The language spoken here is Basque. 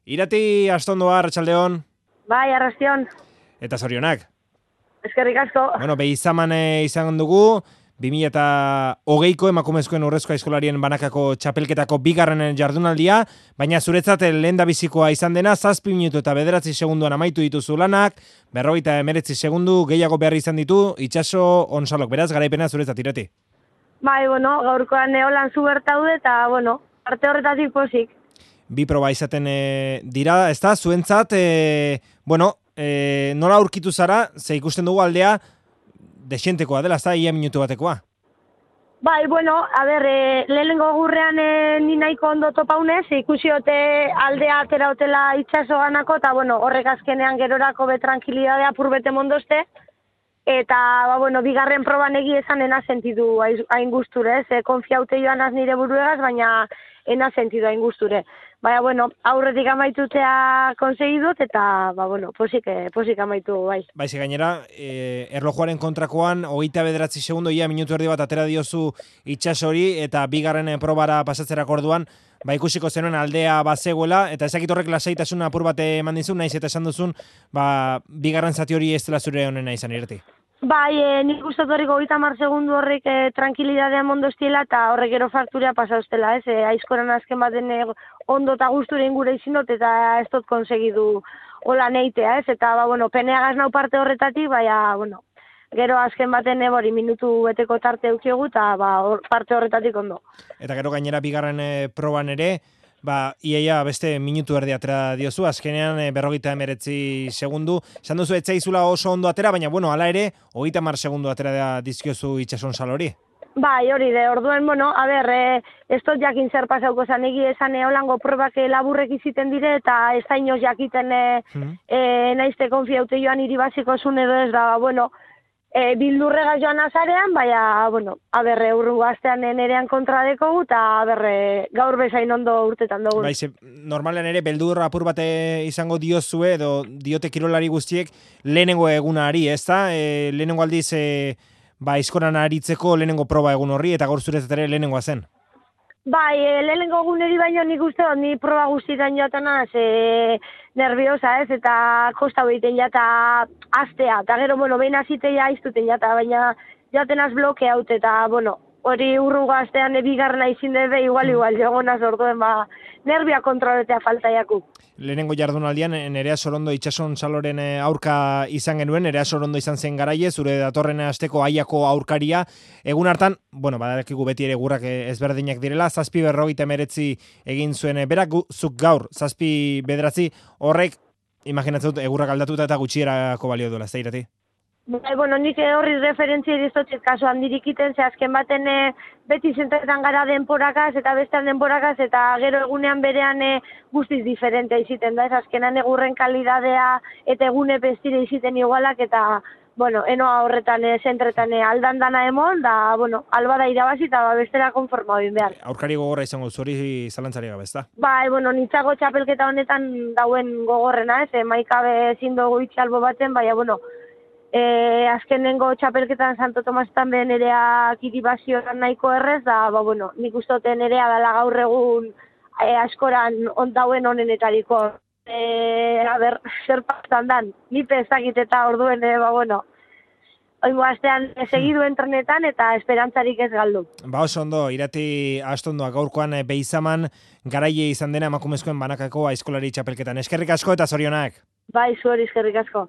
Irati astondoa, Arratsaldeon. Bai, arrastion. Eta zorionak. Eskerrik asko. Bueno, behizaman izan dugu, 2020ko emakumezkoen urrezko aizkolarien banakako txapelketako bigarren jardunaldia, baina zuretzat lehendabizikoa izan dena, 7 minutu eta 9 segunduan amaitu dituzu lanak, 59 segundu gehiago behar izan ditu, Itxaso Onsalok, beraz, garaipena zuretzat, Irati. Bai, gaurkoan neolan zu bertaude eta, parte horretatik pozik. Bi proba izaten dira, ez da, zuentzat, nola aurkitu zara, ze ikusten dugu aldea, desientekoa dela, ez da, ia minutu batekoa. Bai, lehenengo gurrean ni nahiko ondo topaunez, ikusi ote aldea atera otela Itxaso ganako, eta horrek azkenean gerorako tranquilidadea purbete mondozte, eta bigarren proban egi esan ena sentidu hain gusture, konfiaute joan az nire buruegaz, baina ena sentidu hain gusture. Baina, aurretik amaitutea konsegidut eta, posik amaitu, bai. Baizik gainera, erlojuaren kontrakoan, 29 segundo, ia minutu erdi bat atera diozu Itxasori, eta bigarren probara pasatzerako orduan, ikusiko zenuen aldea bazegoela, eta ezakit horrek lasaitasun apur bat eman dizun, naiz eta esan duzun, bigarren zati hori ez dela zure honena izan, Irati. Bai, nik uste horriko 30 segundu horrek tranquilidadea mondo estiela eta horrek gero fakturea pasauztela, ez? Aizkoran azken baten ondo eta gusture ingure izinot eta ez dut konsegidu hola neitea, ez? Eta, peneagaz nau parte horretatik, gero azken baten minutu beteko tarte eukiogu eta parte horretatik ondo. Eta gero gainera bigarren proban ere, iaia beste minutu erdi atera diozu, azkenean 59 segundu. Esan duzu etzaizula oso ondo atera, baina hala ere, 30 segundu atera dizkiozu Itxaso Onsalori. Bai, hori de, orduen, ez dut jakin zer pasauko zan, esan holango probak laburrek iziten dire, eta ez da inoz jakiten naizte konfiaute joan iribaziko zun edo ez da, bildurrega joan azarean, urrungo astean nerean kontra dekogu, eta gaur bezain ondo urtetan dugu. Normalean ere, beldur apur bate izango diozue, edo diote kirolari guztiek, lehenengo egunari, ez da? Lehenengo aldiz, aizkoran aritzeko lehenengo proba egun horri, eta gaur zuretzat ere lehenengoa zen. Lehenengo eguneri baino nik uste dut, ni proba guztietan joatanaz, nerviosa ez, eta kosta behiten jata astea, eta gero, behin azitea iztuten jata, baina jatenaz bloke haute, eta, hori urrugo astean bigarrena izin debe, igual, jogonaz orduen, nervia kontroletea falta jaku. Lehenengo jardunaldian, Nerea Sorondo Itxaso Onsaloren aurka izan genuen, Nerea Sorondo izan zen garaie, zure datorren asteko Aiako aurkaria. Egun hartan, badakigu beti ere gurrak ezberdinak direla, 7:59 egin zuen berak, zuk gaur 7:9, horrek, imaginatzen dut, egurrak aldatuta eta gutxierako balio duela, ez da, Irati? Nik horri referentzia edizotxet kasu handirik iten, ze azken baten beti zentetan gara denporakaz eta bestean denporakaz, eta gero egunean berean guztiz diferentea iziten da, ez azkenan egurren kalidadea eta egune pestire iziten igualak, eta, enoa horretan zentretan aldan dana emon, da, albada irabazi eta bestera konforma bin behar. Aurkari gogorra izango zuri zalantzari gabe, ez da? Nintzago txapelketa honetan dauen gogorrena, ez, maikabe zindogu itxalbo baten, azkenengo txapelketan Santo Tomasetan be nereak iribazioan nahiko errez, da, nik ustote nerea dala gaur egun askoran ondauen honenetariko. Zer pastan dan, nipe ezakit eta orduen, oingo astean segidu entrenetan eta esperantzarik ez galdu. Oso ondo, Irati astondoa gaurkoan behizaman garaile izan dena emakumezkoen banakako aizkolari txapelketan. Eskerrik asko eta zorionak. Zuhori eskerrik asko.